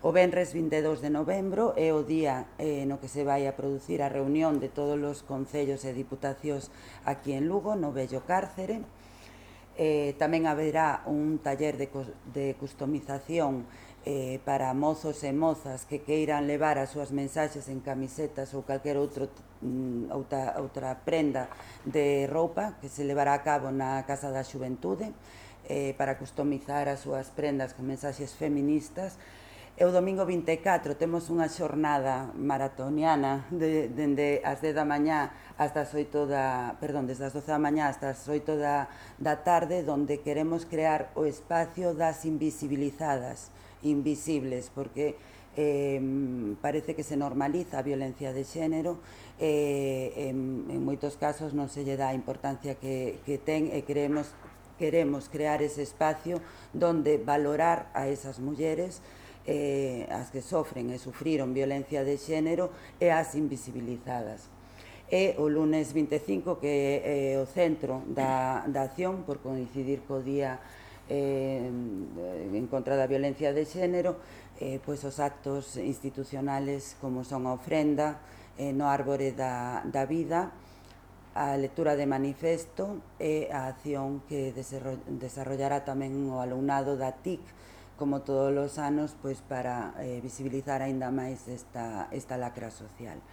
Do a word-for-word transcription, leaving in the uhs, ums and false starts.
O venres vinte e dous de novembro é o día eh, no que se vai a producir a reunión de todos os concellos e diputacións aquí en Lugo, no vello cárcere. Eh, tamén haberá un taller de, de customización eh, para mozos e mozas que queiran levar as súas mensaxes en camisetas ou calquer outro, mm, outra, outra prenda de roupa que se levará a cabo na Casa da Xuventude eh, para customizar as súas prendas con mensaxes feministas. E o domingo vinte e catro temos unha xornada maratoniana de, dende as dez da mañá hasta as oito da, perdón, desde as doce da mañá hasta as oito da, da tarde, donde queremos crear o espacio das invisibilizadas, invisibles, porque eh, parece que se normaliza a violencia de xénero e eh, en, en moitos casos non se lle dá a importancia que, que ten e queremos, queremos crear ese espacio donde valorar a esas mulleres eh, as que sofren e sufriron violencia de xénero e as invisibilizadas. E o lunes vinte e cinco, que é o centro da, da acción, por coincidir co día eh, en contra da violencia de xénero, eh, pois os actos institucionales como son a ofrenda eh, no árbore da, da vida, a lectura de manifesto e a acción que desarrollará tamén o alumnado da T I C, como todos os anos, pois para eh, visibilizar aínda máis esta, esta lacra social.